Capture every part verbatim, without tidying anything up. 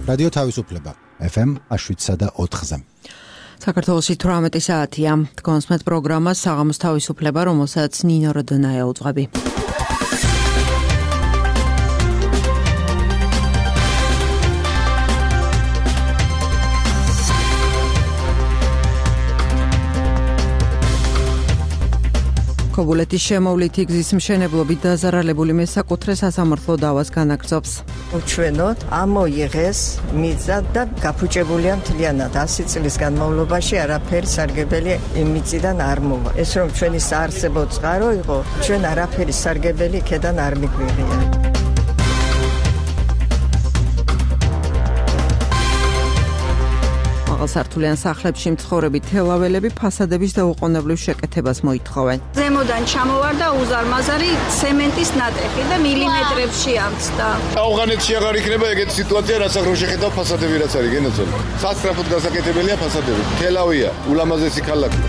რადიო თავისუფლება ეფ ემ შვიდსა და ოთხზე. საქართველოში თვრამეტი საათია. თქვენს პროგრამას საღამოს თავისუფლება, რომელსაც ნინო როდონაია უძღვები. ქობულეთის შემოვლითი გზის მშენებლობით დაზარალებული მესაკუთრე სასამართლო დავას განაგრძობს. უჩვენოთ, ამოიღეს მიწა და გაფუჭებულია მთლიანად. ასი წლის განმავლობაში არაფერი სარგებელი მიწიდან არ მოვა. ეს რომ ჩვენი საარსებო წყარო იყო, ჩვენ არაფერი სარგებელი იქედან არ მიგვიღია. სართულიან სახლებში მცხოვრები თელაველები ფასადების დაუყოვნებლივ შეკეთებას მოითხოვენ. ზემოდან ჩამოვარდა უზარმაზარი ცემენტის ნატეხი და მილიმეტრებში ამცდა. ავღანეთში აღარ იქნება ეგეთი სიტუაცია, რასაც რო შეხედავ ფასადები რაც არის, გენაცვალე. სასწრაფოდ გასაკეთებელია ფასადები. თელავია, ულამაზესი ქალაქია.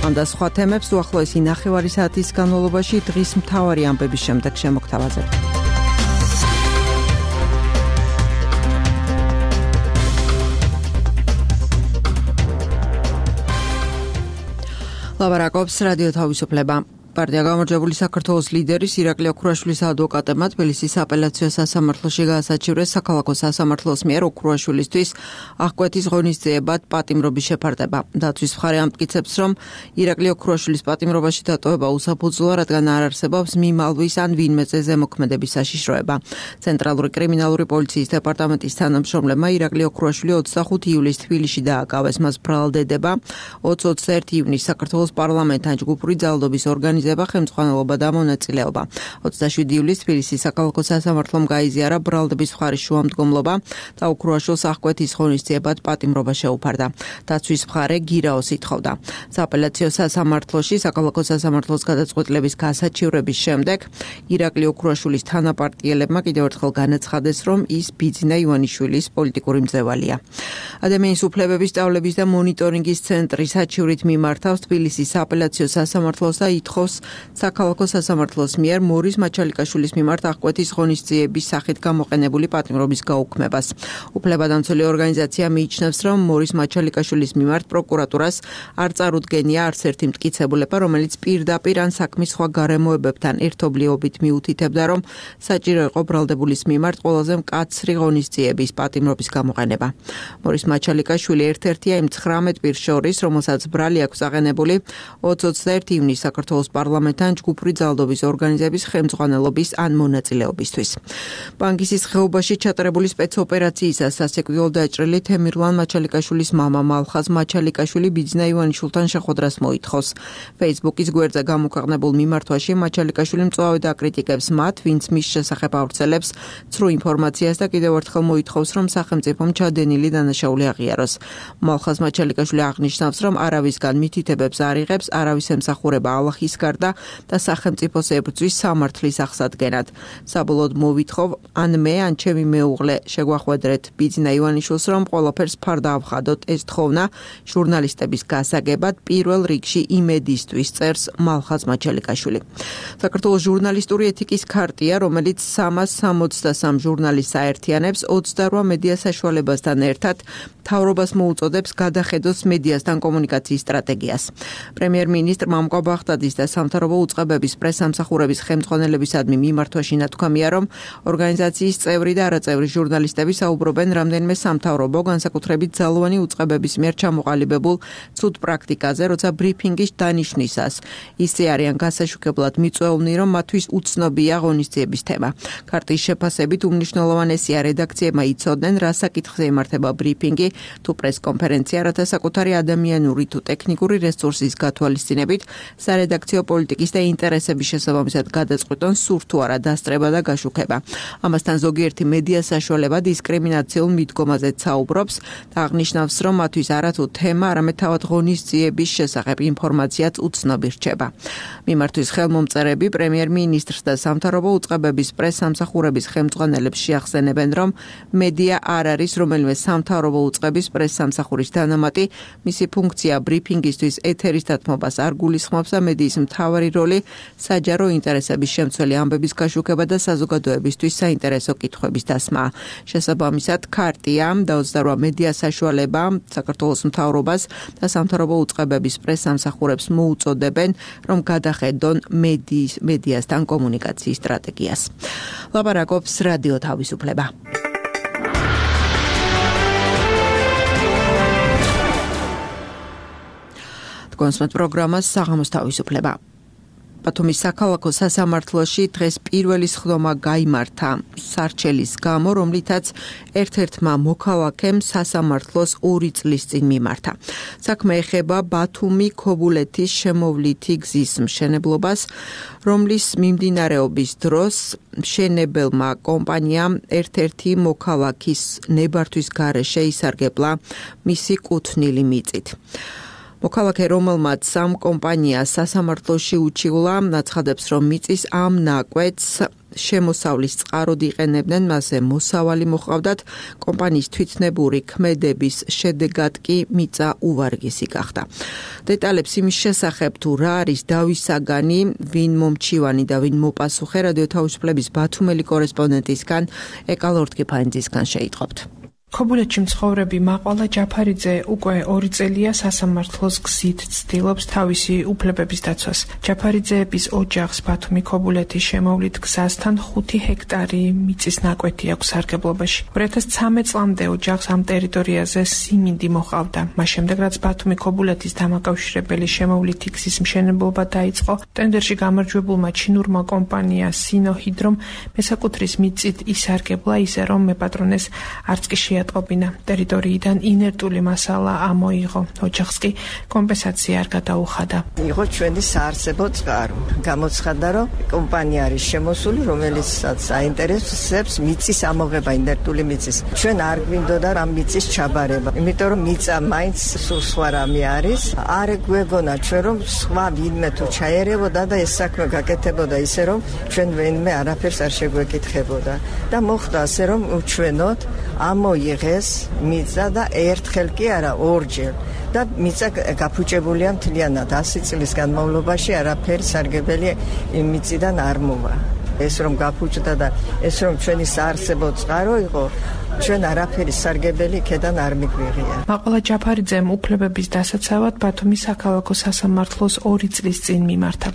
ამ და სხვა თემებს უახლოესი ნახევარი საათის განმავლობაში დღის მთავარი ამბების შემდეგ შემოგთავაზებთ. ლაბარაკობს რადიო თავისუფლება. პარტია გამარჯვებული საქართველოს ლიდერის ირაკლი ოქრუაშვილის ადვოკატებმა თბილისის აპელაციო სასამართლოში გაასაჩივრეს საქალაქო სასამართლოს მიერ ოქრუაშვილისთვის აღკვეთის ღონისძიებად პატიმრობის შეფარდება. დაცვის მხარე ამტკიცებს, რომ ირაკლი ოქრუაშვილის პატიმრობაში დატოვება უსაფუძვლოა, რადგან არ არსებობს მიმალვის ან ვინმეზე ზემოქმედების საშიშროება. ცენტრალური კრიმინალური პოლიციის დეპარტამენტის თანამშრომლებმა ირაკლი ოქრუაშვილი ოცდახუთი ივლისს თბილისში დააკავეს. მას ბრალდება ოცი ოცდაერთი ივნისს საქართველოს პარლამენტთან ჯგუფური ძალადობის ორგანიზაცია ხელმძღვანელობა და მონაწილეობა. ოცდაშვიდი ივლისს თბილისის საქალაქო სასამართლომ გაიზიარა ბრალდების მხარის შუამდგომლობა და ოქრუაშვილს აღკვეთის ღონისძიებად პატიმრობა შეუფარდა. დაცვის მხარე გირაოს ითხოვდა. სააპელაციო სასამართლოში საქალაქო სასამართლოს გადაწყვეტილების გასაჩივრების შემდეგ ირაკლი ოქრუაშვილის თანაპარტიელებმა კიდევ ერთხელ განაცხადეს, რომ ის ბიძინა ივანიშვილის პოლიტიკური მძევალია. ადამიანის უფლებების სწავლების და მონიტორინგის ცენტრის საჩივრით მიმართავს თბილისის სააპელაციო სასამართლოს და ითხოვს საქალაქო სასამართლოს მიერ მორის მაჩალიკაშვილის მიმართ აღკვეთის ღონისძიების სახით გამოყენებული პატიმრობის გაუქმებას. უფლებადამცველი ორგანიზაცია მიიჩნევს, რომ მორის მაჩალიკაშვილის მიმართ პროკურატურას არ წარუდგენია არც ერთი მტკიცებულება, რომელიც პირდაპირ ან საქმის სხვა გარემოებებთან ერთობლიობით მიუთითებდა, რომ საჭირო იყო ბრალდებულის მიმართ ყველაზე მკაცრი ღონისძიების პატიმრობის გამოყენება. მორის მაჩალიკაშვილი ერთ-ერთია იმ ცხრამეტ პირს შორის, რომელსაც ბრალი აქვს აღენებული ოცი ოცდაერთი ივნისს საქართველოს პარლამენტთან ჯგუფური ძალადობის ორგანიზების ხელმძღვანელობის ან მონაწილეობისთვის. ბანგისის ხეობაში ჩატარებული სპეცოპერაციისას სასიკვდილოდ დაჭრილი თემირლან მაჩალიკაშვილის მამა მალხაზ მაჩალიკაშვილი ბიძინა ივანიშვილთან შეხვედრას მოითხოვს. Facebook-ის გვერდზე გამოქვეყნებულ მიმართვაში მაჩალიკაშვილი მწვავედ აკრიტიკებს მათ, ვინც მის შესახებ ავრცელებს ცრუ ინფორმაციას და კიდევ ერთხელ მოითხოვს, რომ სახელმწიფომ ჩადენილი დანაშაული აღიაროს. მალხაზ მაჩალიკაშვილი აღნიშნავს, რომ არავისგან მითითებებს არ იღებს, არავის ემსახურება ალახის გარდა და სახელმწიფოს ებრძვის სამართლის აღსადგენად. საბოლოოდ მოვითხოვ, ან მე, ან ჩემი მეუღლე შეგვახვედრეთ ბიძინა ივანიშვილს, რომ ყველაფერს ფარდა ავხადოთ. ეს თხოვნა ჟურნალისტების გასაგებად პირველ რიგში იმედისთვის, წერს მალხაზ მაჩალიკაშვილი. საქართველოს ჟურნალისტური ეთიკის ქარტია, რომელიც სამას სამოცდასამ ჟურნალისტს აერთიანებს, ოცდარვა მედია საშუალებასთან ერთად მთავრობას მოუწოდებს გადახედოს მედიასთან კომუნიკაციის სტრატეგიას. პრემიერ-მინისტრ მამუკა ბახტაძის და სამთავრობო უწყებების პრესამსახურების ხელმძღვანელებისადმი მიმართვაში ნათქვამია, რომ ორგანიზაციის წევრი და არაწევრი ჟურნალისტები საუბრობენ რამდენიმე სამთავრობო, განსაკუთრებით ძალოვანი უწყებების მიერ ჩამოყალიბებულ ცუდ პრაქტიკაზე, როცა ბრიფინგის დანიშვნისას ისე არიან გასაშუქებლად მიწვეულნი, რომ მათთვის უცნობია ღონისძიების თემა. ქარტიის შეფასებით უმნიშვნელოვანესია რედაქციებმა იცოდნენ, რა საკითხზე იმართება ბრიფინგი თუ პრესკონფერენცია, რათა საკუთარი ადამიანური თუ ტექნიკური რესურსის გათვალისწინებით სარედაქციო პოლიტიკის და ინტერესების შესაბამისად გადაწყვეტონ სურთ თუ არა დასწრება და გაშუქება. ამასთან ზოგიერთი მედია საშუალება დისკრიმინაციულ მიდგომაზე საუბრობს და აღნიშნავს, რომ მათთვის არათუ თემა, არამედ თავად ღონისძიების შესახებ ინფორმაციაც უცნობი რჩება. მიმართვის ხელმომწერები პრემიერ-მინისტრს და სამთავრობო უწყებების პრესამსახურების ხელმძღვანელებს შეახსენებენ, რომ მედია არ არის რომელიმე სამთავრობო უწყება უწყების პრესსამსახურის დანამატი, მისი ფუნქცია ბრიფინგისთვის ეთერის დათმობას არ გულისხმობს და მედიის მთავარი როლი საჯარო ინტერესების შემცველი ამბების გაშუქება და საზოგადოებისთვის საინტერესო კითხვების დასმა. შესაბამისად, ქარტიამ დაუცდა მედია საშუალება საქართველოს მთავრობას და სამთავრობო უწყებების პრესსამსახურებს მოუწოდებენ, რომ გადახედონ მედიის მედიასთან კომუნიკაციის სტრატეგიას. ლაპარაკობს რადიო თავისუფლება. კონსმეთ პროგრამას საღამოს თავისუფლება. ბათუმის საქალაქო სასამართლოში დღეს პირველი სხდომა გაიმართა სარჩელის გამო, რომლითაც ერთ-ერთმა მოქალაქემ სასამართლოს ორი წლის წინ მიმართა. საქმე ეხება ბათუმი ქობულეთის შემოვლითი გზის მშენებლობას, რომლის მიმდინარეობის დროს მშენებელმა კომპანიამ ერთ-ერთი მოქალაქის ნებართვის გარეშე ისარგებლა მისი კუთვნილი მიწით. მოქალაქე, რომელმაც სამ კომპანიას სასამართლოში უჩივლა, აცხადებს, რომ მიწის ამ ნაკვეთს შემოსავლის წყაროდ იყენებდნენ, მასზე მოსავალი მოჰყავდათ, კომპანიის თვითნებური ქმედების შედეგად კი მიწა უვარგისი გახდა. დეტალებს იმის შესახებ, თუ რა არის დავის საგანი, ვინ მომჩივანი და ვინ მოპასუხე, რადიო თავისუფლების ბათუმელი კორესპონდენტისგან ეკალორთკიფანძისგან შეიტყობთ. ქობულეთში მცხოვრები მაყვალა ჯაფარიძე უკვე ორი წელია სასამართლოს გზით ცდილობს თავისი უფლებების დაცვას. ჯაფარიძეების ოჯახს ბათუმი ქობულეთის შემოვლით გზასთან ხუთი ჰექტარი მიწის ნაკვეთი აქვს სარგებლობაში. ორი ათას ცხრამეტ წლამდე ოჯახს ამ ტერიტორიაზე სიმინდი მოჰყავდა. მას შემდეგ, რაც ბათუმი ქობულეთის დამაკავშირებელი შემოვლითი გზის მშენებლობა დაიწყო, ტენდერში გამარჯვებულმა ჩინურმა კომპანია სინოჰიდრომ მესაკუთრის მიწით ისარგებლა ისე, რომ მეპატრონეს არც კი ატყობინა. ტერიტორიიდან ინერტული მასალა ამოიღო. ოჯახს კი კომპენსაცია არ გადაუხადა. იყო ჩვენი საარსებო წყარო. გამოცხადა, რომ კომპანია არის შემოსული, რომელიც საინტერესებს მიწის ამოღება, ინერტული მიწის. ჩვენ არ გვინდოდა რა მიწის ჩაბარება, იმიტომ რომ მიწა მაინც სულ სხვა რამე არის. არ გვეგონა ჩვენ რომ სხვა ვინმე თუ ჩაერევოდა და ეს საქმე გაკეთებოდა ისე, რომ ჩვენ ვინმე არაფერს არ შეგვეკითხებოდა. და მოხდა ასე, რომ უჩვენოთ ამოიღეს მიწა და ერთხელ კი არა, ორჯერ. და მიწა გაფუჭებულია მთლიანად ასი წლის განმავლობაში, არაფერი სარგებელი იმ მიწიდან არ მოვა. ეს რომ გაფუჭდა და ეს რომ ჩვენი საარსებო წყარო იყო, ჩვენ არაფერი სარგებელი ქედან არ მიგვიღია. მაყვალა ჯაფარიძემ უფლებების დასაცავად ბათუმის საქალაქო სასამართლოს ორი წლის წინ მიმართა.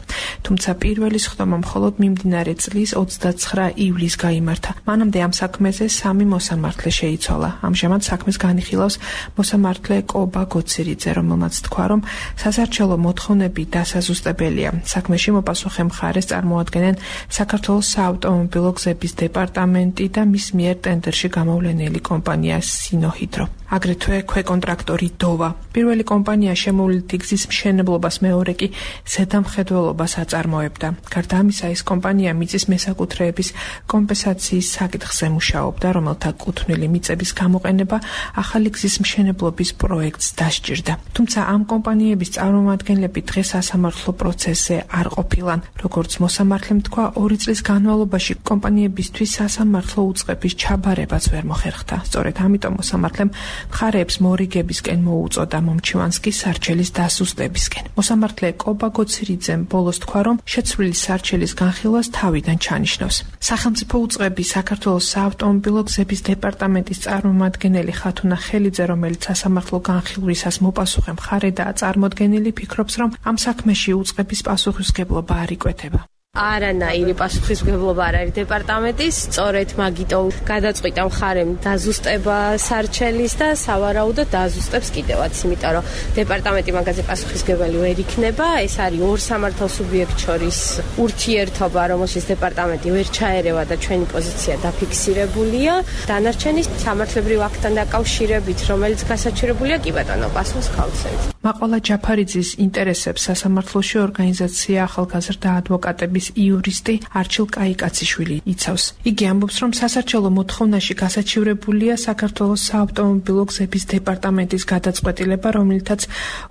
თუმცა პირველი სხდომა მხოლოდ მიმდინარე წლის ოცდაცხრა ივლისს გაიმართა. მანამდე ამ საქმეზე სამი მოსამართლე შეიცვალა. ამჟამად საქმეს განიხილავს მოსამართლე კობა გოცირიძე, რომელმაც თქვა, რომ სასარჩელო მოთხოვნები დასაზუსტებელია. საქმეში მოპასუხე მხარეს წარმოადგენენ საქართველოს საავტომობილო გზების დეპარტამენტი და მის მიერ ტენდერში გამოვლენილი კომპანია სინოჰიდრო. აგრეთვე ქვეკონტრაქტორი დოვა. პირველი კომპანია შემოვლითი გზის მშენებლობას, მეორე კი ზედამხედველობას აწარმოებდა. გარდა ამისა, ეს კომპანია მიწის მესაკუთრეების კომპენსაციის საკითხზე მუშაობდა, რომელთა კუთვნილი მიწების გამოყენება ახალი გზის მშენებლობის პროექტს დასჭირდა. თუმცა ამ კომპანიების წარმომადგენლები დღეს სასამართლო პროცესზე არ ყოფილან. როგორც მოსამართლემ თქვა, ორი წლის განმავლობაში კომპანიებისთვის სასამართლო უწყების ჩაბარებაც ვერ მოხერხდა. სწორედ ამიტომ მოსამართლემ მხარეებს მორიგებისკენ მოუწოდა, მომჩივანს კი სარჩელის დასუსტებისკენ. მოსამართლე კობა გოცირიძემ ბოლოს თქვა, რომ შეცვლილი სარჩელის განხილვას თავიდან ჩანიშნავს. სახელმწიფო უწყების საქართველოს საავტომობილო გზების დეპარტამენტის წარმომადგენელი ხათუნა ხელიძე, რომელიც სასამართლო განხილვისას მოპასუხე მხარედაა წარმოდგენილი, ფიქრობს, რომ ამ საქმეში უწყების პასუხისმგებლობა არ იკვეთება. არანაირი პასუხისმგებლობა არ არის დეპარტამენტის, სწორედ მაგიტომ გადაწყვიტა მხარემ დაზუსტება სარჩელის და სავარაუდოდ დაზუსტებს კიდევაც, იმიტომ რომ დეპარტამენტი მაგაზე პასუხისმგებელი ვერ იქნება. ეს არის ორ სამართალ სუბიექტ შორის ურთიერთობა, რომელშიც დეპარტამენტი ვერ ჩაერევა და ჩვენი პოზიცია დაფიქსირებულია. დანარჩენი სამართლებრივ აქტთან დაკავშირებით, რომელიც გასაჩივრებულია, კი ბატონო, პასუხს გავცემთ. მაყვალა ჯაფარიძის ინტერესებს სასამართლოში ორგანიზაცია ახალგაზრდა ადვოკატების იურისტი არჩილ კაიკაციშვილი იცავს. იგი ამბობს, რომ სასარჩელო მოთხოვნაში გასაჩივრებულია საქართველოს საავტომობილო გზების დეპარტამენტის გადაწყვეტილება, რომელთაც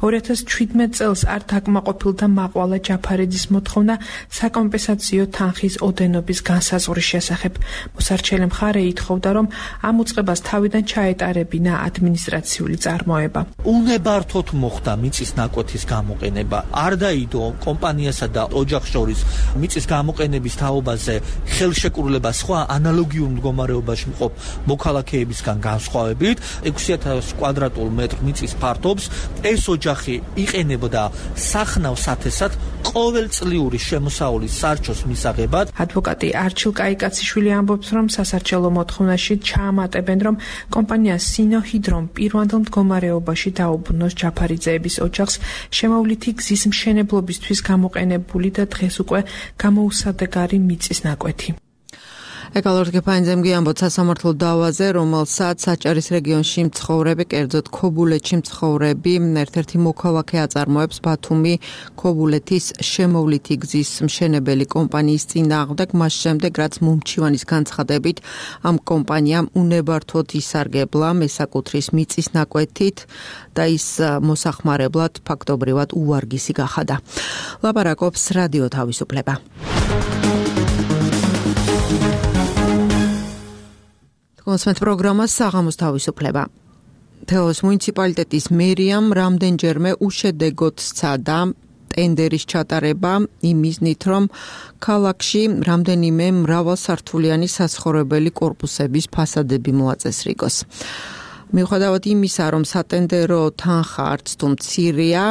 ორი ათას ჩვიდმეტ წელს არ დაკმაყოფილდა მაყვალა ჯაფარიძის მოთხოვნა საკომპენსაციო თანხის ოდენობის განსაზღვრის შესახებ. მოსარჩელი მხარე ითხოვდა, რომ ამ უწყებას თავიდან ჩაეტარებინა ადმინისტრაციული წარმოება. უნებართოდ მოხდა მიწის ნაკვეთის გამოყენება. არ დაიდო კომპანიასა და ოჯახს შორის მიწის გამოყენების თაობაზე ხელშეკრულება სხვა ანალოგიურ მდგომარეობაში მყოფ მოქალაქეებისგან განსხვავებით ექვსი ათას კვადრატულ მეტრ მიწის ფართობს ეს ოჯახი იყენებდა სახნავ სათესად ყოველწლიური შემოსავალის სარჩოს მისაღებად. ადვოკატი არჩილ კაიკაციშვილი ამბობს, რომ სასარჩელო მოთხოვნაში ჩაამატებენ, რომ კომპანია სინოჰიდრომ პირვანდელ მდგომარეობაში დაუბრუნოს ჯაფარიძეების ოჯახს შემოვლითი გზის მშენებლობისთვის გამოყენებული და დღეს უკვე გამოუსადეგარი მიწის ნაკვეთი. ეკალორდ გეფაინძემგი ამბობს სასამართლო დავაზე, რომელსაც საჭარის რეგიონში მცხოვრები, კერძოდ ქობულეთში მცხოვრები ერთ-ერთი მოქალაქე აწარმოებს ბათუმი ქობულეთის შემოვლითი გზის მშენებელი კომპანიის წინააღმდეგ, მას შემდეგ, რაც მომჩივანის განცხადებით ამ კომპანიამ უნებართოდ ისარგებლა მესაკუთრის მიწის ნაკვეთით და ის მოსახმარებლად ფაქტობრივად უვარგისი გახადა. ლაპარაკობს რადიო თავისუფლება. მოსმენთ პროგრამას საღამოს თავისუფლება. თელავის მუნიციპალიტეტის მერიამ რამდენჯერმე უშედეგოდ სცადა ტენდერის ჩატარება იმ მიზნით, რომ ქალაქში რამდენიმე მრავალსართულიანი საცხოვრებელი კორპუსების ფასადები მოაწესრიგოს. მიუხედავად იმისა, რომ სატენდერო თანხა არც თუ მცირეა,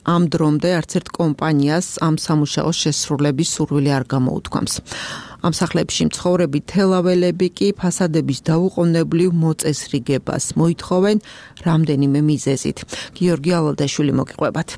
ამ დრომდე არც ერთ კომპანიას ამ სამუშაოს შესრულების სურვილი არ გამოუთქვამს. ამ სახლებში მცხოვრები თელაველები კი ფასადების დაუყოვნებლივ მოწესრიგებას მოითხოვენ რამდენიმე მიზეზით. გიორგი ალალდაშვილი მოგიყვებათ.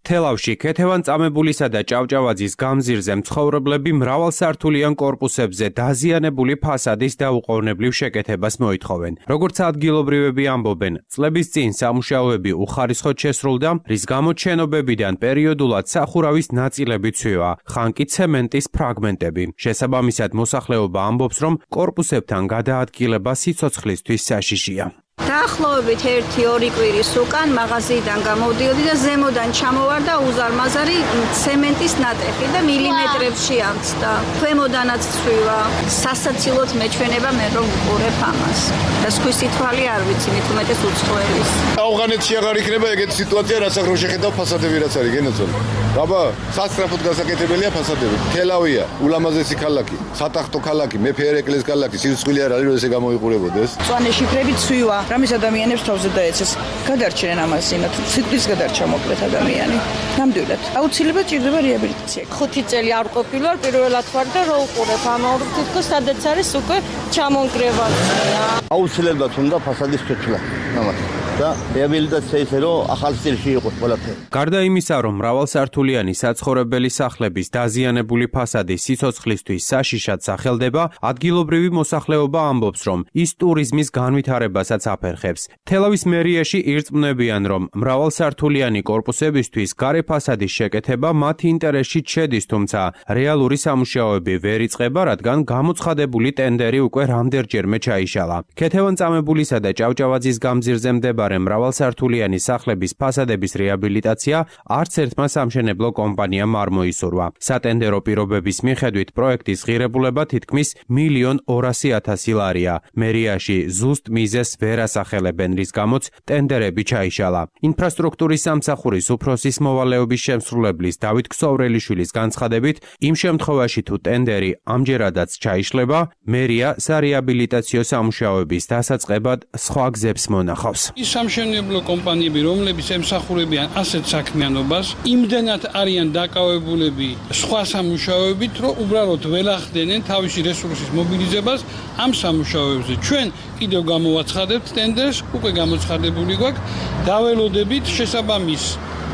თელავში ქეთევან-წამებულისა და ჭავჭავაძის გამზირზე მცხოვრებლები მრავალსართულიან კორპუსებზე დაზიანებული ფასადის დაუყოვნებლივ შეკეთებას მოითხოვენ. როგორც ადგილობრივები ამბობენ, წლების წინ სამუშაოები უხარისხოდ შესრულდა, რის გამოც შენობებიდან პერიოდულად სახურავის ნაწილები ცვივა, ხან კი ცემენტის ფრაგმენტები. შესაბამისად, მოსახლეობა ამბობს, რომ კორპუსებთან გადაადგილება სიცოცხლისთვის საშიშია. დაახლოებით ერთი ორი კვირის უკან მაღაზიიდან გამოვდიოდი და ზემოდან ჩამოვარდა უზარმაზარი ცემენტის ნატეხი და მილიმეტრებში ამცდა. ქვემოდანაც ცვივა. სასაცილოდ მეჩვენება მე რომ ვუყურებ ამას. და სხვისი თვალი არ ვიცი, მით უმეტეს უცხოელის. ავღანეთში აღარ იქნება ეგეთი სიტუაცია, რასაც რო შეხედავ ფასადები რაც არის, გენაცვალე. რაბა, სასწრაფოდ გასაკეთებელია ფასადები. თელავია, ულამაზესი ქალაქი, სატახტო ქალაქი, მეფე ერეკლეს ქალაქი, სიცოცხლე არ არის, რომ ესე გამოიყურებოდეს. მწვანე შიფრები ცვივა. რამის ადამიანებს თავზე დაეცეს. გადარჩენენ ამას იმათ, სიტყვის გადარჩა მოკლედ ადამიანი. ნამდვილად. აუცილებლად ჭირდება რეაბილიტაცია. ხუთი წელი არ ყოფილვარ, პირველად ვარ და რო უყურებ ამ ორ თითქოს სადაც არის უკვე ჩამონგრევანია. აუცილებლად უნდა ფასადის შეცვლა. ამათ. და რეაბილიტაცია ისე რომ ახალ სტილში იყოს ყველაფერი. გარდა იმისა, რომ მრავალსართულიანი საცხოვრებელი სახლების დაზიანებული ფასადი სიცოცხლისთვის საშიშად სახელდება, ადგილობრივი მოსახლეობა ამბობს, რომ ის ტურიზმის განვითარებასაც აფერხებს. თელავის მერიაში ირწმუნებიან, რომ მრავალსართულიანი კორპუსებისთვის გარე ფასადის შეკეთება მათ ინტერესში შედის, თუმცა რეალური სამუშაოები ვერ იწყება, რადგან გამოცხადებული ტენდერი უკვე რამდენჯერმე ჩაიშალა. ქეთევან-წამებულისა და ჭავჭავაძის გამზირზე მდებარე მრავალსართულიანი სახლების ფასადების რეაბილიტაცია არც ერთმა სამშენებლო კომპანიამ არ მოისურვა. სატენდერო პირობების მიხედვით პროექტის ღირებულება თითქმის მილიონ ორასი ათასი ლარია. მერიაში ზუსტ მიზეს ვერ ასახელებენ, რის გამოც ტენდერები ჩაიშალა. ინფრასტრუქტურის სამსახურის უფროსის მოვალეობის შემსრულებლის დავით ქსოვრელიშვილის განცხადებით, იმ შემთხვევაში თუ ტენდერი ამჯერადაც ჩაიშლება, მერია სარეაბილიტაციო სამუშაოების დასაწყებად სხვა გზებს მონახავს. სამშენებლო კომპანიები, რომლებიც ემსახურებიან ასეთ საქმიანობას, იმდენად არიან დაკავებულები სხვა სამუშაოებით, რომ უბრალოდ ველახდენენ თავისი რესურსის მობილიზებას ამ სამუშაოებზე. ჩვენ კიდევ გამოვაცხადებთ ტენდერს, უკვე გამოცხადებული გვაქვს, დაველოდებით შესაბამის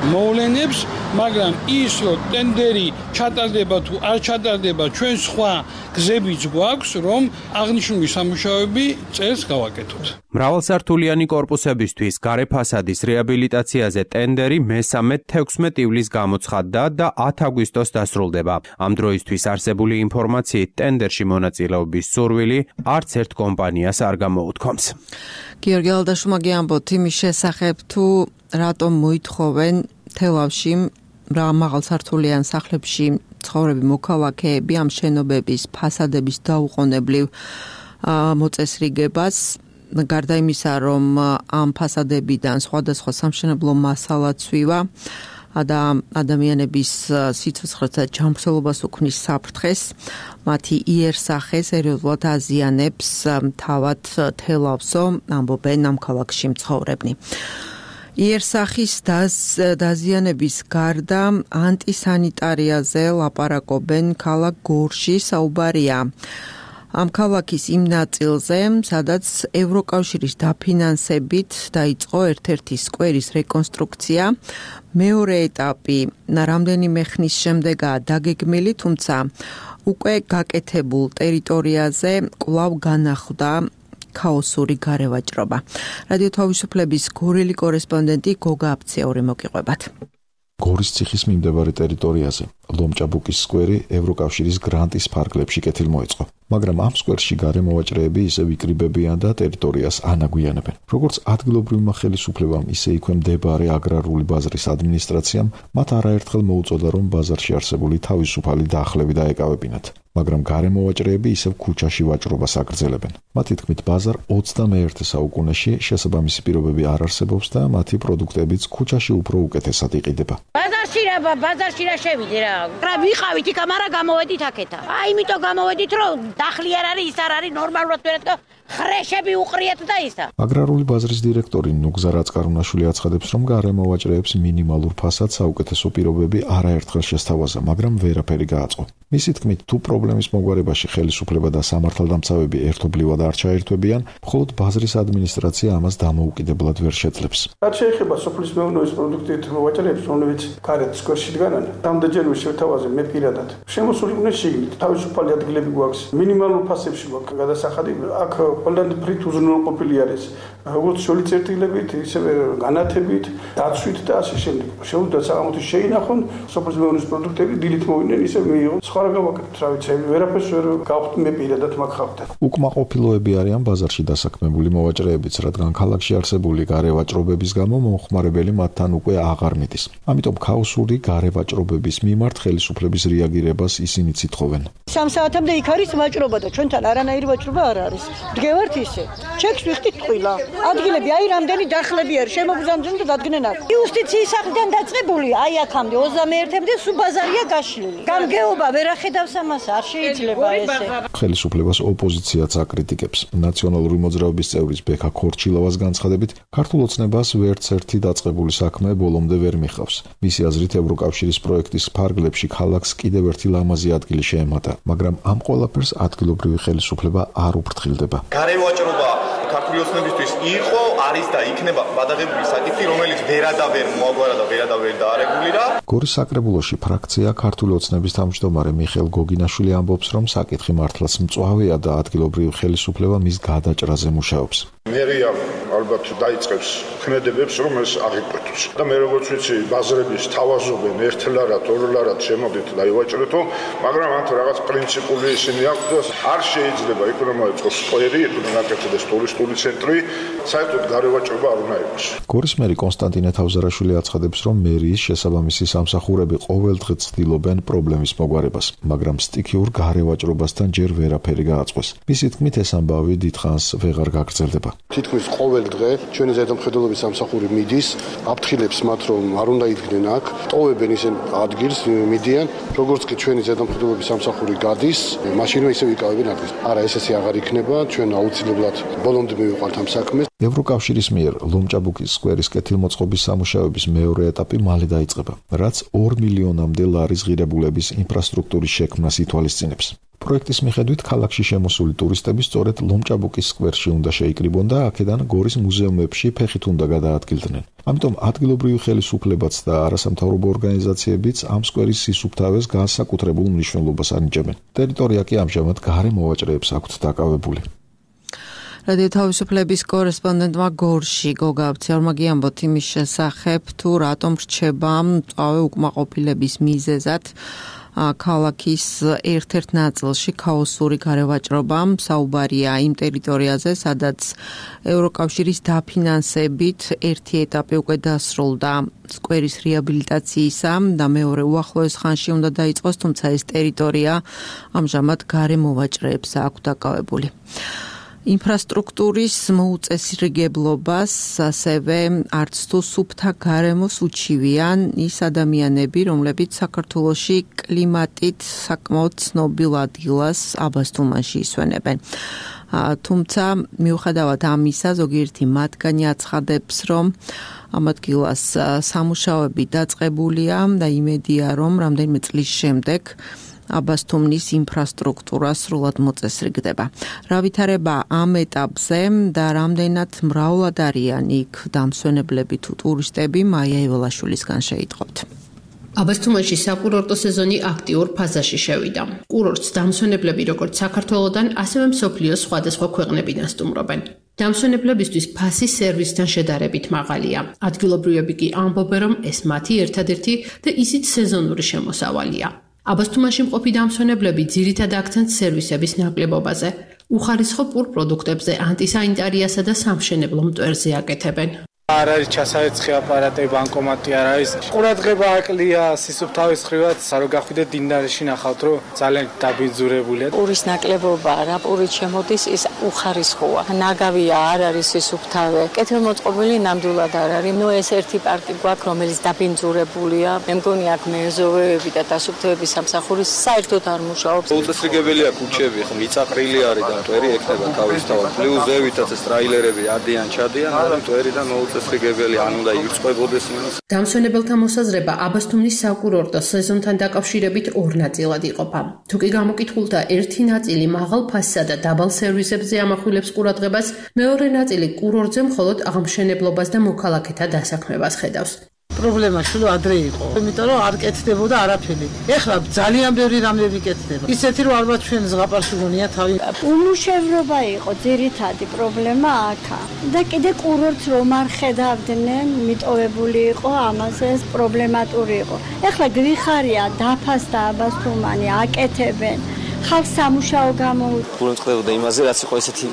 მოვლენებს, მაგრამ ის რომ ტენდერი ჩატარდება თუ არ ჩატარდება, ჩვენ სხვა გზებიც გვაქვს, რომ აღნიშნული სამუშაოები წელს გავაკეთოთ. მრავალსართულიანი კორპუსებისთვის გარე ფასადის რეაბილიტაციაზე ტენდერი მესამე თექვსმეტ ივლისს გამოცხადდა და ათი აგვისტოს დასრულდება. Ამ დროისთვის არსებული ინფორმაციით ტენდერში მონაწილეობის სურვილი არც ერთ კომპანიას არ გამოუთქვამს. გიორგი ალდაშუმა გიამბოთ იმის შესახებ თუ რატომ მოითხოვენ თელავში მაღალსართულიან სახლებში ცხოვრები მოქალაქეები ამ შენობების ფასადების დაუყოვნებლივ მოწესრიგებას. Გარდა იმისა, რომ ამ ფასადებიდან სხვადასხვა სამშენებლო მასალა ცვივა და ადამიანების სიცოცხლეს და ჯანმრთელობას უქმნის საფრთხეს, მათი იერსახე სერიოზულად აზიანებს თავად თელავსო, ამბობენ ამ ქალაქში მცხოვრებნი. იერსახის დაზიანების გარდა ანტისანიტარიაზე ლაპარაკობენ ქალაქ გორში საუბარია. Ამ ქალაქის იმ ნაწილზე, სადაც ევროკავშირის დაფინანსებით დაიწყო ერთ-ერთი სკვერის რეკონსტრუქცია, მეორე ეტაპი რამდენიმე ხნის შემდეგაა დაგეგმილი, თუმცა უკვე გაკეთებულ ტერიტორიაზე კვლავ განახლდა ქაოსური გარევაჭრობა. რადიო თავისუფლების გორელი კორესპონდენტი გოგა აფციური მოგიყვებათ. გორის ციხის მიმდებარე ტერიტორიაზე ლომჭაბუკის სკვერი ევროკავშირის გრანტის ფარგლებში კეთილ მოეწყო, მაგრამ ამ სკვერში გარემოვაჭრეები ისევ იკრიბებიან და ტერიტორიას ანაგვიანებენ. Როგორც ადგილობრივმა ხელისუფლებამ, ისე იქვე მდებარე აგრარული ბაზრის ადმინისტრაციამ მათ არაერთხელ მოუწოდა, რომ ბაზარში არსებული თავისუფალი დაახლები დაეკავებინათ. მაგრამ გარემოვაჭრეები ისევ ქუჩაში ვაჭრობას აგრძელებენ. მათი თქმით, ბაზარ ოცდამეერთე საუკუნეში შესაბამისი პირობები არ არსებობს და მათი პროდუქტებიც ქუჩაში უფრო უკეთესად იყიდება. ბაზარში რა, ბაზარში რა შევიდე რა. რა ვიყავით იქ, მაგრამ გამოვედით აქეთა. აი, იმიტომ გამოვედით, რომ დახლი არ არის, ის არ არის ნორმალურად ვერად ხრეშები უყრიათ და ისა. აგრარული ბაზრის დირექტორი ნუგზა რაწკარუნაშვილი აცხადებს, რომ გარემოვაჭრეებს მინიმალურ ფასადს საუკეთესო პირობები არაერთხელ შესთავაზა, მაგრამ ვერაფერი გააწყო. მისი თქმით, თუ პრობლემის მოგვარებაში ხელისუფლება და სამართალდამცავები ერთობლივად არ ჩაერთვებიან, მხოლოდ ბაზრის ადმინისტრაცია ამას დამოუკიდებლად ვერ შეძლებს. რაც შეეხება სოფლის მეურნეობის პროდუქტებით მოღვაწეებს, რომლებიც გარეთ სკვერში დგანან, რამდენჯერმე შევთავაზე მე პირადად. შემოსულიყვნენ შიგნით, თავისუფალი ადგილები გვაქვს, მინიმალურ ფასებში გვაქვს გადასახადი, აქ ყველანაირად უზრუნველყოფილი არის. როგორც შოლიწერთილებით, ისევე განათებით, დაცვით და ასე შემდეგ. შეუძლია საღამოთი შეინახონ სოფლის მეურნეობის პროდუქტები, დილით მოვიდნენ, ისე მიიღონ. სხვა რა გავაკეთოთ, რა ვიცი, ვერაფერს ვერ გავხდი მე პირადად მაგხავდა. უკმაყოფილოები არიან ბაზარში დასაქმებული მოვაჭრეებიც, რადგან ქალაქში არსებული გარევაჭრობების გამო მომხმარებელი მათთან უკვე აღარ მიდის. ამიტომ ქაოსური გარევაჭრობების მიმართ ხელისუფლების რეაგირებას ისინი ითხოვენ. სამ საათამდე იქ არის ვაჭრობა და ჩვენთან არანაირი ვაჭრობა არ არის. დგევართ ისე. ჩეკს ვიხდით ტყილა. ადგილები აი რამდენი დახლები არის შემოგზამდნენ და დადგნენ აქ. იუსტიციის სახლიდან დაწყებული აი აქამდე ოცდამეერთემდე სულ ბაზარია გაშლილი. გამგეობა ვერ ახედავს ამას, არ შეიძლება ესე. ხელისუფლებას ოპოზიციაც აკრიტიკებს. ნაციონალური მოძრაობის წევრის ბექა ქორჩილოვას განცხადებით, ქართულ ოცნებას ვერც ერთი დაწყებული საქმე ბოლომდე ვერ მიხავს. მისი აზრით, ევროკავშირის პროექტის ფარგლებში ქალაქს კიდევ ერთი ლამაზი ადგილი შეემატა, მაგრამ ამ ყველაფერს ადგილობრივი ხელისუფლება არ უფრთხილდება. გარევაჭრობა ქართული ოცნებისთვის იყო, არის და იქნება გადაღებული საკითხი, რომელიც ვერადავერ მოაგვარა და ვერადავერ დაარეგულირა. გორის საკრებულოში ფრაქცია ქართული ოცნების თავმჯდომარე მიხეილ გოგინაშვილი ამბობს, რომ საკითხი მართლაც მწვავეა და ადგილობრივი ხელისუფლება მის გადაჭრაზე მუშაობს. მერია ალბათ დაიწყებს ქმედებებს, რომ ეს აღიკვეთოს. და მე როგორც ვიცი, ბაზრების თავაზობენ ერთლარად, ორლარად შემოდით და ივაჭრეთო, მაგრამ ამ რაღაც პრინციპული ისინი აქვს და არ შეიძლება იქ რომ მოეწყოს სკვერი, იქ რომ გაკეთდეს ტურისტული ცენტრი, საერთოდ გარევაჭრობა არ უნდა იყოს. გორის მერი კონსტანტინე თავზარაშვილი აცხადებს, რომ მერიის შესაბამისი სამსახურები ყოველდღე ცდილობენ პრობლემის მოგვარებას, მაგრამ სტიქიურ გარევაჭრობასთან ჯერ ვერაფერი გააწყვეს. მისი თქმით, ეს ამბავი დიდხანს ვეღარ გაგრძელდება. თითქმის ყოველ დღე ჩვენი ზედამხედველობის სამსახური მიდის, აფრთხილებს მათ, რომ არ უნდა იდგნენ აქ, ტოვებენ ისინი ადგილს, მიდიან, როგორც კი ჩვენი ზედამხედველობის სამსახური გადის, მაშინვე ისე ვიკავებენ ადგილს. არა, ეს ესე აღარ იქნება, ჩვენ აუცილებლად ბოლომდე მივიყვანთ ამ საქმეს. ევროკავშირის მიერ ლომჭაბუკის სკვერის კეთილმოწყობის სამუშაოების მეორე ეტაპი მალე დაიწყება, რაც ორ მილიონამდე ლარის ღირებულების ინფრასტრუქტურის შექმნას ითვალისწინებს. პროექტის მიხედვით ქალაქში შემოსული ტურისტები სწორედ ლომჭაბუკის სკვერში უნდა შეიკრიბონ და აქედან გორის მუზეუმებში ფეხით უნდა გადაადგილდნენ. ამიტომ ადგილობრივი ხელისუფლებაც და არასამთავრობო ორგანიზაციებიც ამ სკვერის სისუფთავეს განსაკუთრებულ მნიშვნელობას ანიჭებენ. ტერიტორია კი ამჟამად გარე მოვაჭრეებს აქვთ დაკავებული. რადიო თავისუფლების კორესპონდენტმა გორში გოგა აბციარმა გიამბოთ იმის შესახებ, თუ რატომ რჩება მწვავე უკმაყოფილების მიზეზად ქალაქის ერთ-ერთ ნაწილში ქაოსური გარევაჭრობა. საუბარია იმ ტერიტორიაზე, სადაც ევროკავშირის დაფინანსებით ერთი ეტაპი უკვე დასრულდა სკვერის რეაბილიტაციისა და მეორე უახლოეს ხანში უნდა დაიწყოს, თუმცა ეს ტერიტორია ამჟამად გარე მოვაჭრეებს აქვს დაკავებული. ინფრასტრუქტურის მოუწესრიგებლობას ასევე არც თუ სუფთა გარემოს უჩივიან ის ადამიანები, რომლებიც საქართველოში კლიმატით საკმაოდ ცნობილ ადგილას აბასთუმანში ისვენებენ. თუმცა მიუხედავად ამისა, ზოგიერთი მათგანი აცხადებს, რომ ამ ადგილას სამუშაოები დაწყებულია და იმედია, რომ რამდენიმე წლის შემდეგ აბასთუმნის ინფრასტრუქტურა სრულად მოწესრიგდება. რა ვითარება ამ ეტაპზე და რამდენად მრავლად არიან იქ დამსვენებლები თუ ტურისტები, მაია ეველაშვილისგან შეიტყობთ. აბასთუმანში საკურორტო სეზონი აქტიურ ფაზაში შევიდა. კურორტს დამსვენებლები როგორც საქართველოდან, ასევე მსოფლიოს სხვადასხვა ქვეყნებიდან სტუმრობენ. დამსვენებლებისთვის ფასი სერვისთან შედარებით მაღალია. ადგილობრივები კი ამბობენ, რომ ეს მათი ერთადერთი და ისიც სეზონური შემოსავალია. აბასთუმანში მყოფი დამსვენებლები ძირითად აქცენტს სერვისების ნაკლებობაზე, უხარისხო პურ პროდუქტებზე, ანტისანიტარიასა და სამშენებლო მტვერზე აკეთებენ. არ არის ჩასაეცხი აპარატი, ბანკომატი არ არის. ყურადღება აკლია სისუფთავის ხრივად, სარო გახვიდეთ დინარში ნახავთ, რომ ძალიან დაბინძურებულია. პურის ნაკლებობა რა პურით შემოდის, ის უხარისხოა. ნაგავია, არ არის სისუფთავე. კეთილმოწყობილი ნამდვილად არ არის. ნუ ეს ერთი პარკი გვაქვს, რომელიც დაბინძურებულია. მე მგონი აქ მეზოვეები და დასუფთავების სამსახური საერთოდ არ მუშაობს. უწესრიგებელია ქუჩები, ხო მიწაყრილი არის და მტვერი ექნება თავისთავად. პლუს ზევითაც ეს ტრაილერები ადიან, ჩადიან, მაგრამ მტვერი და მოუწესრიგებელი გებელი ან უნდა ირწყვებოდეს იმას. დამსვენებელთა მოსაზრება აბასთუმნის საკურორტო სეზონთან დაკავშირებით ორ ნაწილად იყოფა. თუ კი გამოკითხულთა ერთი ნაწილი მაღალ ფასსა და დაბალ სერვისებზე ამახვილებს ყურადღებას, მეორე ნაწილი კურორტზე მხოლოდ აღმშენებლობას და მოქალაქეთა დასაქმებას ხედავს. პრობლემა შულო ადრე იყო, იმიტომ რომ არ კეთდებოდა არაფერი. ეხლა ძალიან ბევრი რამები კეთდება. ისეთი რომ ალბათ ჩვენ ზღაპარში გონია თავი. უმუშევრობა იყო ძირითადი პრობლემა აქა. და კიდე კურორტს რომ არ ხედავდნენ, მიტოვებული იყო, ამაზე პრობლემატური იყო. ეხლა გრიხარია, დაფასდა აბასთუმანი, აკეთებენ. ხალხს სამუშაო გამოუწევს. გულმ წყდებოდა იმაზე, რაც იყო ესეთი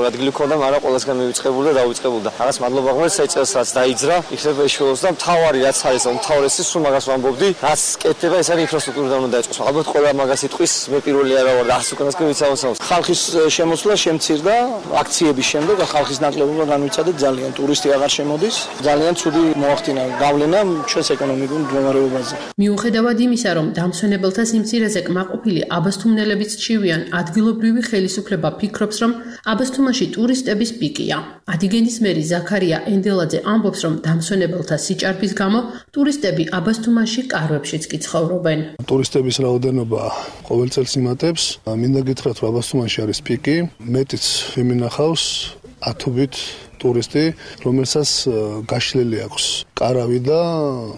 ადგილი ქონდა, მაგრამ ყველასგან მივიწყებული და დავიწყებული და რაღაც მადლობა ღმერთს საერთოდ რაც დაიძრა, იქნება ეშველოს და მთავარი რაც არის, უმთავრესი სულ მაგას ვამბობდი, რაც კეთდება, ეს არის ინფრასტრუქტურა უნდა დაიწყოს. ალბათ ყველა მაგას იტყვის, მე პირველი არა ვარ და არც უკანასკენ ვიცავსავს. ხალხის შემოსვლა შემცირდა აქციების შემდეგ, ხალხის ნაკლებობა განვიცადეთ ძალიან, ტურისტი აღარ შემოდის, ძალიან ცუდი მოახდინა გავლენა ჩვენს ეკონომიკურ მდგომარეობაზე. მიუხედავად იმისა, რომ დამსვენებელთა სიმცირეზე კმაყოფილი აბასთუმნელები ჩივიან, ადგილობრივი ხელისუფლება ფიქრობს, რომ აბასთუმანში ტურისტების პიკია. ადიგენის მერი ზაქარია ენდელაძე ამბობს, რომ დამსვენებელთა სიჭარბის გამო ტურისტები აბასთუმანში კარვებშიც კი ცხოვრობენ. ტურისტების რაოდენობა ყოველ წელს იმატებს. მინდა გითხრათ, რომ აბასთუმანში არის პიკი, მეტიც იმენახავს ათობით ტურისტი, რომელსაც გაშლილი აქვს კარავი და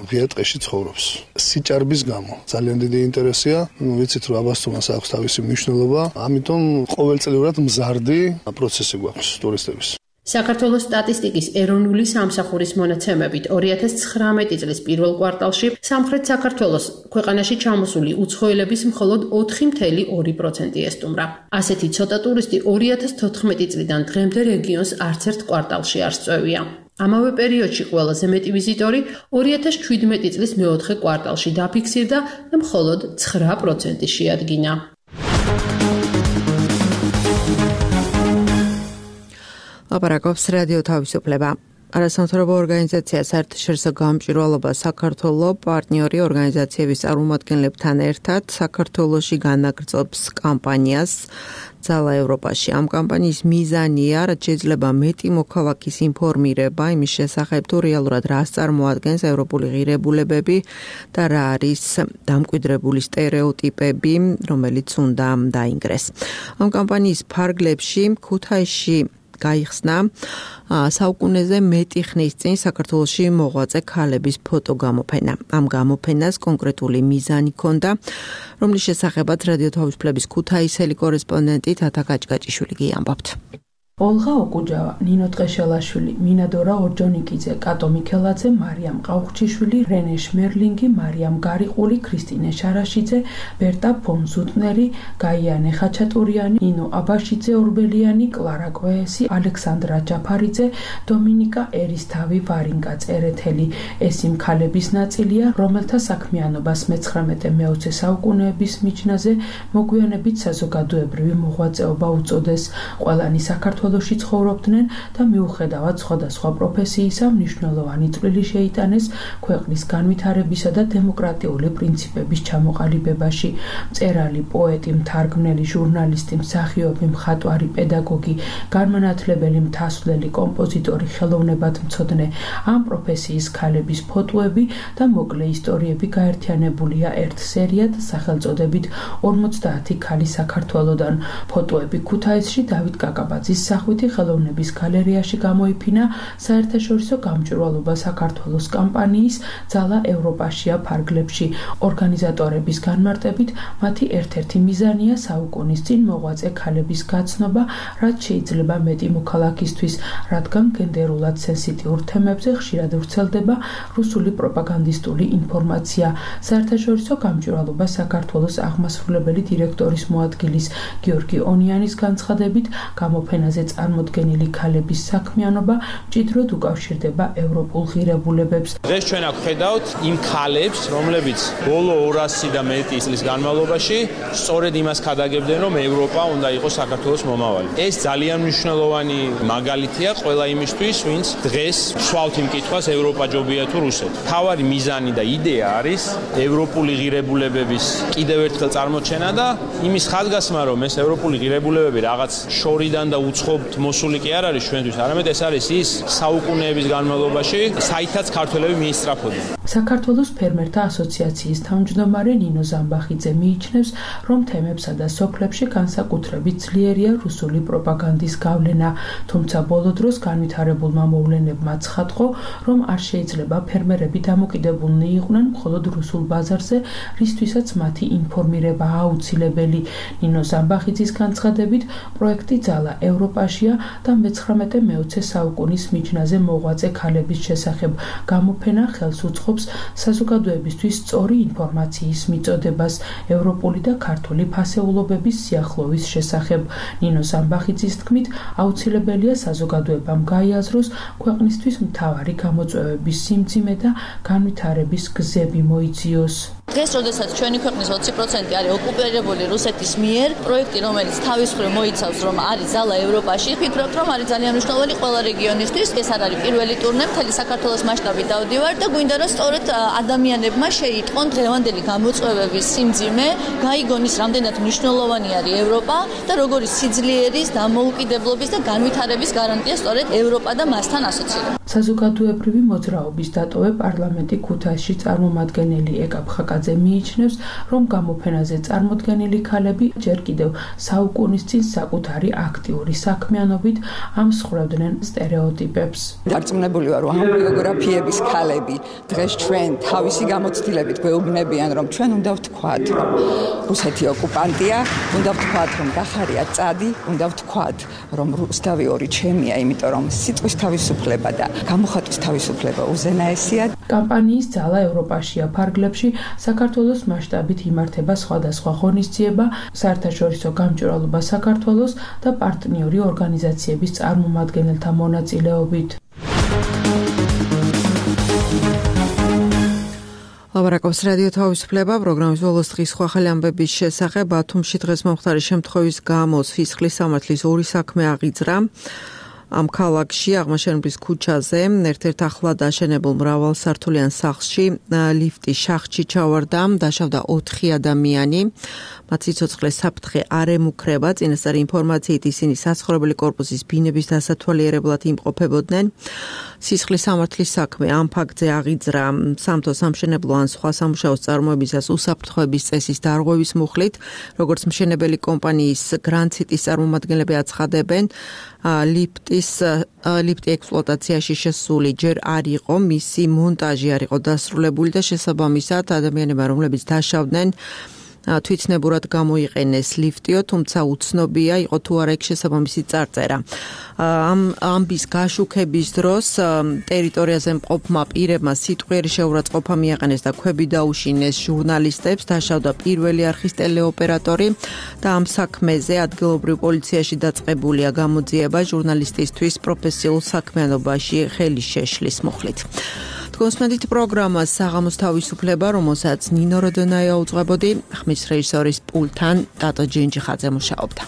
ღია ტყეში ცხოვრობს. სიჭარბის გამო ძალიან დიდი ინტერესია. ვიცით, რომ აბასთუმანს აქვს თავისი მნიშვნელობა, ამიტომ ყოველწლიურად მზარდი პროცესი გვაქვს ტურისტების. საქართველოს სტატისტიკის ეროვნული სამსახურის მონაცემებით ორი ათას ცხრამეტი წლის პირველ კვარტალში სამხრეთ საქართველოს ქვეყანაში ჩამოსული უცხოელების მხოლოდ ოთხი მთელი ორი პროცენტი ესტუმრა. ასეთი ცოტა ტურისტი ორი ათას თოთხმეტი წლიდან დღემდე რეგიონს არც ერთ კვარტალში არ სწვევია. ამავე პერიოდში ყველაზე მეტი ვიზიტორი ორი ათას შვიდმეტი წლის მეოთხე კვარტალში დაფიქსირდა და მხოლოდ ცხრა პროცენტი შეადგინა. ლაპარაკობს რადიო თავისუფლება. არასამთავრობო ორგანიზაცია საერთაშორისო გამჭვირვალობა საქართველოს პარტნიორი ორგანიზაციების წარმომადგენლებთან ერთად საქართველოში განაგრძობს კამპანიას ძალა ევროპაში. ამ კამპანიის მიზანია, რაც შეიძლება მეტი მოქალაქის ინფორმირება იმის შესახებ, თუ რეალურად რას წარმოადგენს ევროპული ღირებულებები და რა არის დამკვიდრებული სტერეოტიპები, რომელიც უნდა დაინგრეს. ამ კამპანიის ფარგლებში ქუთაისში გაიხსნა საუკუნეზე მეტი ხნის წინ საქართველოში მოღვაწე ქალების ფოტო გამოფენა. ამ გამოფენას კონკრეტული მიზანი ჰქონდა, რომლის შესახებაც რადიო თავისუფლების ქუთაისელი კორესპონდენტი თათა გაჭგაჭიშვილი გიამბობთ. ოლღა ოკუჯავა, ნინო ტყეშელაშვილი, მინადორა ორჯონიკიძე, კატო მიქელაძე, მარიამ ყაუხჩიშვილი, რენე შმერლინგი, მარიამ გარიყული, ქრისტინე შარაშიძე, ბერტა ფონზუტნერი, გაიანე ხაჩატურიანი, ნინო აბაშიძე ორბელიანი, კლარა კვეესი, ალექსანდრა ჯაფარიძე, დომინიკა ერისთავი, ვარინკა წერეთელი. ეს იმ ქალების ნაწილია, რომელთა საქმიანობას მეცხრამეტე მეოცე საუკუნეების მიჯნაზე მოგვიანებით საზოგადოებრივი მოღვაწეობა უწოდეს. ყველანი საქართველოში ცხოვრობდნენ და მიუხედავად სხვადასხვა პროფესიისა მნიშვნელოვანი წვლილი შეიტანეს ქვეყნის განვითარებისა და დემოკრატიული პრინციპების ჩამოყალიბებაში. მწერალი, პოეტი, მთარგმნელი, ჟურნალისტი, მსახიობი, მხატვარი, პედაგოგი, განმანათლებელი, მთასვლელი, კომპოზიტორი, ხელოვნებათმცოდნე, ამ პროფესიის ქალების ფოტოები და მოკლე ისტორიები გაერთიანებულია ერთ სერიად სახელწოდებით ორმოცდაათი ქალი საქართველოდან. ფოტოები ქუთაისში დავით კაკაბაძის სახვითი ხელოვნების გალერეაში გამოიფინა საერთაშორისო გამჭვირვალობა საქართველოს კამპანიის ძალა ევროპაშია ფარგლებში. ორგანიზატორების განმარტებით, მათი ერთ-ერთი მიზანია საუკუნის წინ მოღვაწე ქალების გაცნობა, რაც შეიძლება მეტი მოქალაქისთვის, რადგან გენდერულად სენსიტიურ თემებზე ხშირად ვრცელდება რუსული პროპაგანდისტული ინფორმაცია. საერთაშორისო გამჭვირვალობა საქართველოს აღმასრულებელი დირექტორის მოადგილის გიორგი ონიანის განცხადებით, გამოფენაზე წარმოდგენილი ქალების საქმიანობა მჭიდროდ უკავშირდება ევროპულ ღირებულებებს. დღეს ჩვენ აქ ხედავთ იმ ქალებს, რომლებიც ბოლო ორასი და მეტი წლის განმავლობაში სწორედ იმას ქადაგებდნენ, რომ ევროპა უნდა იყოს საქართველოს მომავალი. ეს ძალიან მნიშვნელოვანი მაგალითია ყველა იმისთვის, ვინც დღეს სვავთ იმ კითხვას, ევროპა ჯობია თუ რუსეთი. თავარი მიზანი და იდეა არის ევროპული ღირებულებების კიდევ ერთხელ წარმოჩენა და იმის ხაზგასმა, რომ ეს ევროპული ღირებულებები რაღაც შორიდან და უცხობთ მოსული კი არ არის ჩვენთვის, არამედ ეს არის ის საუკუნეების განმავლობაში, საითაც ქართველები მიისწრაფოდნენ. საქართველოს ფერმერთა ასოციაციის თავმჯდომარე ნინო ზამბახიძე მიიჩნევს, რომ თემებსა და სოფლებში განსაკუთრებით ძლიერია რუსული პროპაგანდის გავლენა, თუმცა ბოლო დროს განვითარებულმა მოვლენებმა ცხადყო, რომ არ შეიძლება ფერმერები დამოკიდებულნი იყვნენ მხოლოდ რუსულ ბაზარზე, რისთვისაც მათი ინფორმირება აუცილებელი. ნინო ზამბახიძის განცხადებით, პროექტი ძალა ევროპაშია და მეცხრამეტე მეოცე საუკუნის მიჯნაზე მოღვაწე ქალების შესახებ გამოფენა ხელს უწყობს საზოგადოებისთვის სწორი ინფორმაციის მიწოდებას ევროპული და ქართული ფასეულობების სიახლოვის შესახებ. ნინო ზამბახიძის თქმით, აუცილებელია საზოგადოებამ გაიაზროს ქვეყნისთვის მთავარი გამოწვევების სიმძიმე და განვითარების გზები მოიძიოს. დღეს, როდესაც ჩვენი ქვეყნის ოცი პროცენტი არის ოკუპირებული რუსეთის მიერ, პროექტი, რომელიც თავის მხრივ მოიცავს, რომ არის ძალა ევროპაში, ვფიქრობ, რომ არის ძალიან მნიშვნელოვანი ყველა რეგიონისთვის. ეს არ არის პირველი ტურნე, მთელი საქართველოს მასშტაბით დავდივარ და გვინდა რომ სწორედ ადამიანებმა შეიტყონ დღევანდელი გამოწვევების სიმძიმე, გაიგონ ის, რამდენად მნიშვნელოვანი არის ევროპა და როგორი სიძლიერის, დამოუკიდებლობის და განვითარების გარანტია სწორედ ევროპა და მასთან ასოცირება. საზოგადოებრივი მოძრაობის დატოვე პარლამენტი ქუთაისში წარმომადგენელი ეკა ფხაკაძე მიიჩნევს, რომ გამოფენაზე წარმოდგენილი ქალები ჯერ კიდევ საუკუნის წინ საკუთარი აქტიური საქმიანობით ამსხვრევდნენ სტერეოტიპებს. დარწმუნებული ვარ, რომ ამ ბიოგრაფიების ქალები დღეს ჩვენ თავისი გამოცდილებით გვეუბნებიან, რომ ჩვენ უნდა ვთქვათ, რომ რუსეთი ოკუპანტია, უნდა ვთქვათ, რომ გახარია წადი, უნდა ვთქვათ, რომ რუსთავი ორი ჩემია, იმიტომ რომ სიტყვის თავისუფლება და გამოხატვის თავისუფლება უზენაესია. კამპანიის ძალა ევროპაშია ფარგლებში საქართველოს მასშტაბით იმართება სხვადასხვა ღონისძიება, საერთაშორისო გამჭვირვალობა საქართველოს და პარტნიორი ორგანიზაციების წარმომადგენელთა მონაწილეობით. ლაბარაკობს რადიო თავისუფლება, პროგრამის ბოლოს დღის სხვა ხელი ამბების შესახებ. ბათუმში დღეს მომხდარი შემთხვევის გამო სისხლის სამართლის ორი საქმე აღიძრა. ამ ქალაქში აღმაშენებლის ქუჩაზე ერთ-ერთ ახლად აშენებულ მრავალსართულიან სახლში ლიფტი შახში ჩავარდა, დაშავდა ოთხი ადამიანი. მათ სიცოცხლე საფრთხე არ ემუქრება. წინასწარი ინფორმაციით ისინი საცხოვრებელი კორპუსის ბინების დასათვალიერებლად იმყოფებოდნენ. სისხლის სამართლის საქმე ამ ფაქტზე აღიძრა სამთო სამშენებლო ან სხვა სამუშაოს წარმოებისას უსაფრთხოების წესის დარღვევის მუხლით, როგორც მშენებელი კომპანიის Grand City-ის წარმომადგენლები აცხადებენ, ლიფტის ლიფტი ექსპლუატაციაში შესული ჯერ არ იყო, მისი მონტაჟი არ იყო დასრულებული და შესაბამისად ადამიანებმა, რომლებიც დაშავდნენ, თვითნებურად გამოიყენეს ლიფტიო, თუმცა უცნობია იყო თუ არა იქ შესაბამისი წარწერა. ამ ამბის გაშუქების დროს ტერიტორიაზე მყოფმა პირებმა სიტყვიერი შეურაცხყოფა მიაყენეს და ქვები დაუშინეს ჟურნალისტებს, დაშავდა პირველი არხის ტელეოპერატორი და ამ საქმეზე ადგილობრივ პოლიციაში დაწყებულია გამოძიება ჟურნალისტისთვის პროფესიულ საქმიანობაში ხელი შეშლის მუხლით. გოსმედით პროგრამა საღამოს თავისუფლება, რომელსაც ნინო როდონაია უძღვებოდი, ხმის რეჟისორის პულთან ტატო ჯინჯიხაძე მუშაობდა.